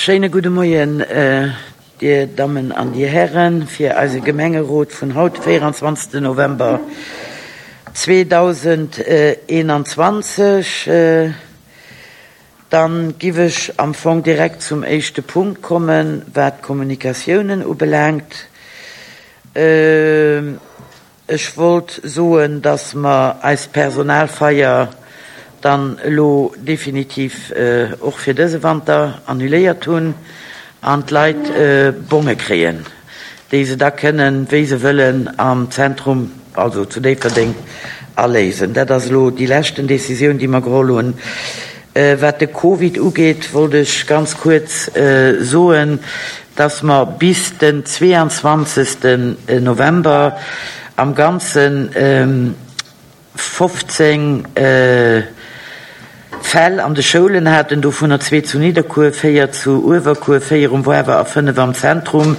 Schéine gudde Moien, Dir Dammen an Dir Hären, fir eise Gemengerot vun haut, 24. November 2021. Dann giff ech am Fong direkt zum éischte Punkt kommen, wat d'Kommunikatiounen ubelaangt. Ech wollt soen, dass mer eis Personalfeier dann elo definitiv och fir dëse Wanter annuléiert hunn an d'Leit Bonge kréien, déi se da kënnen, wéi se wëllen, am Zentrum, also zu Déifferdeng, aléisen. Dat ass elo déi leschten Décisioun, déi mer geholl hunn. Wat de Covid ugeet, wollt ech ganz kuerz soen, dass mer bis den 22. November am Ganze 15 Fäll an de Schoulen haten, dovunner zwee zu Nidderkuer, véier zu Uewerkuer, véier um Woarwer a fënnef am Zentrum.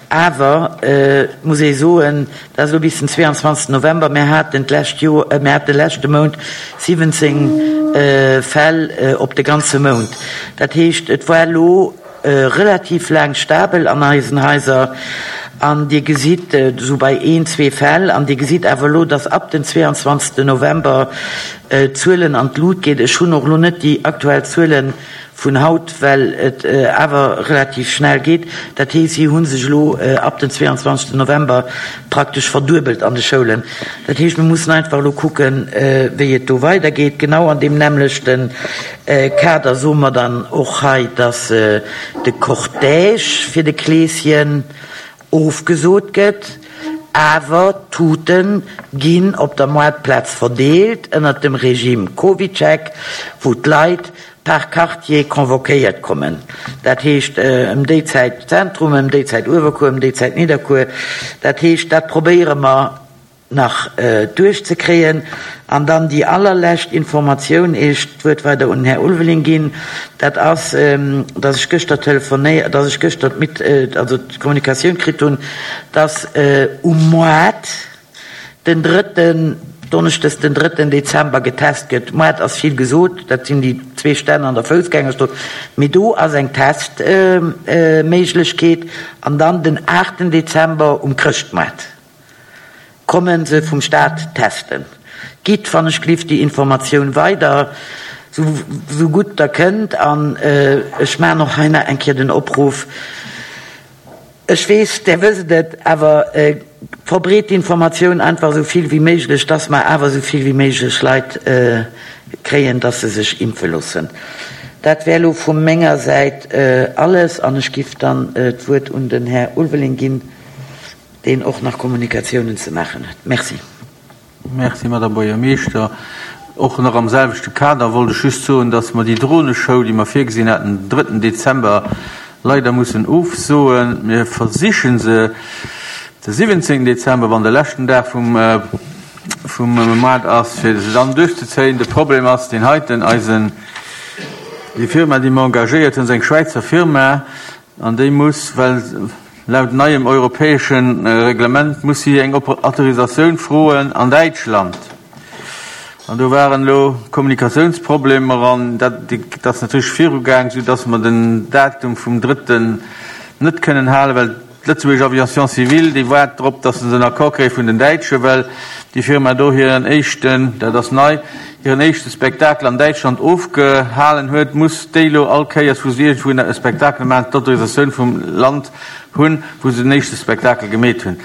Awer et muss ee soen, dat ass elo bis den 22. November, mir haten d'lescht Joer, mir haten de leschte Mount 17 Fäll op de ganze Mount. Dat heescht, et war elo relativ laang stabel an eisen Haiser an Dir gesitt esou bei een, zwee Fäll an Dir gesitt awer elo, dass ab den 22. November d'Zuelen an d'Lut geet. Ech hunn och elo net déi aktuell Zuele vun haut, well et awer relativ schnell geet. Dat heescht, si hu sech elo ab den 22. November praktesch verduebelt an de Schoulen. Dat heescht, mir mussen einfach elo kucken, wéi et do weidergeet. Genau an deem nämmlechte Kader soe mer dann och hei, dass de Cortège fir de Kleeschen ofgesot gëtt, awer d'Tute ginn op der Moartplaz verdeelt ënnert dem Regime CovidCheck, wou d'Leit par Quartier convoquéiert kommen. Dat heescht ëm déi Zäit Zentrum, ëm déi Zäit Uewerkuer, ëm déi Zäit Nidderkuer. Dat heescht, dat probéiere mer nach duerchzekréien. An dann déi allerlescht Informatioun, ier ech d'Wuert weider un den Här Ulveling ginn, dat ass, dass ech gëschter telefonéiert, dass ech gëschter d'Mit, also d'Kommunikatioun kritt hunn, dass um Moart den drëtten, donneschdes den drëtten Dezember getest gëtt. Moart ass vill gesot, dat sinn déi zwee Stänn an der Foussgängerstrooss, mee do ass eng Testméiglechkeet. An dann den aachten Dezember um Chrëschtmoart. Kommen se vum Staat testen. Gitt wann ech glift déi Informatioun weider, sou gutt der kënnt. An ech maachen och hei nach eng Kéier den Opruff, ech weess, där wësst et, awer verbreet d'Informatioun einfach esou vill wéi méiglech, dass mer awer esou vill wéi méiglech Leit kréien, dass se sech impfe loossen. Dat wär elo vu menger Säit alles an ech giff dann d'Wuert un den Här Ulveling ginn. deen och nach Kommunikatiounen ze maachen huet. Merci. Merci, Madame Buergermeeschter. Och nach am selwechte Kader wollt ech just soen, dass mer déi Droneshow, déi mer virgesinn haten, den drëtten Dezember, leider mussen ofsoen. Mir versiche se de siwwenzéngten Dezember, wann de leschten Dag vum, vum Moart ass, fir se dann duerchzezéien. De Problem ass deen heiten, Eisen, déi Firma, déi mer engagéiert hunn, ass eng Schwäizer Firma, An déi muss, well laut neiem europäesche Reglement muss si eng Autorisatioun froen an Däitschland. An do waren elo Kommunikatiounsproblemer an dat ass natierlech virugaang, soudass mer den Datum vum drëtten net kënnen halen, well d'Lëtzebuergesch Aviation civile, déi waart drop, dass se en Accord kréie vun den Däitschen, well déi Firma do hiren éischten, dat ass nei, hiren éischte Spektakel an Däitschland ofgehalen huet, muss déi elo all Kéiers, wou se iergendwou e Spektakel maachen, d'Autorisatioun vum Land hunn, wou se den éischte Spektakel gemeet hunn.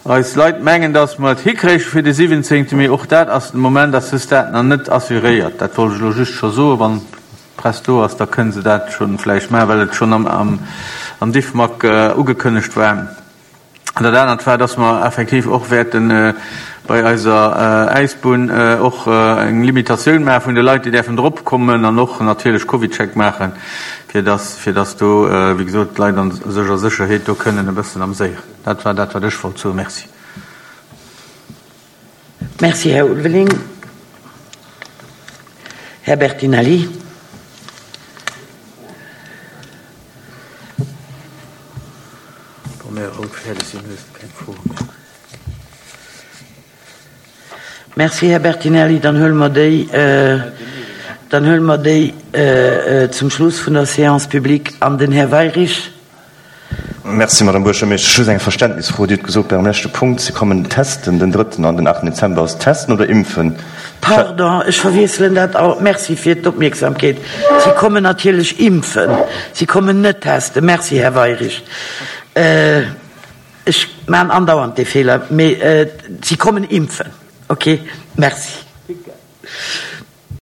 Eis Leit mengen, datt mer et hikréiche fir de siwwenzéngte, mee och dat ass de Moment ass dës Dat nach net assuréiert. Dat wollt ech elo just scho soen. Wann d'Press do ass, da kënne se dat scho vläicht maachen, well et schonn am Diffmag ugekënnegt war. An dat anert war, dass mer effektiv och wäerte bei eiser Äisbunn och eng Limitatioun maache vun de Leit, déi däerfen drop kommen an och natierlech CovidCheck maachen, fir dass, fir dass do, wéi gesot, d'Leit an sech a Sécherheet do kënnen e bëssen amséieren. Dat war dat, wat ech wollt soen. Merci. Merci, Här Ulveling. Här Bertinelli. Wa mir haut fäerdeg sinn, hues de keng Froe méi. Merci, Här Bertinelli. Dann huele mer déi. Dann huele mer déi zum Schluss vun der Séance publique. An den Här Weyrich. Merci, Madame Buergermeeschtesch. Just eng Verständnisfro. Dir hutt gesot bei Ärem leschte Punkt, se kommen testen den drëtten an den aachten Dezember. Ass testen oder impfen? Pardon, ech verwiesselen dat alt. Merci fir d'Opmierksamkeet. Si kommen natierlech impfen. Si kommen net testen. Merci, Här Weyrich. Ech maachen andauernd dee Feeler. Mee si kommen impfen. Okay, merci.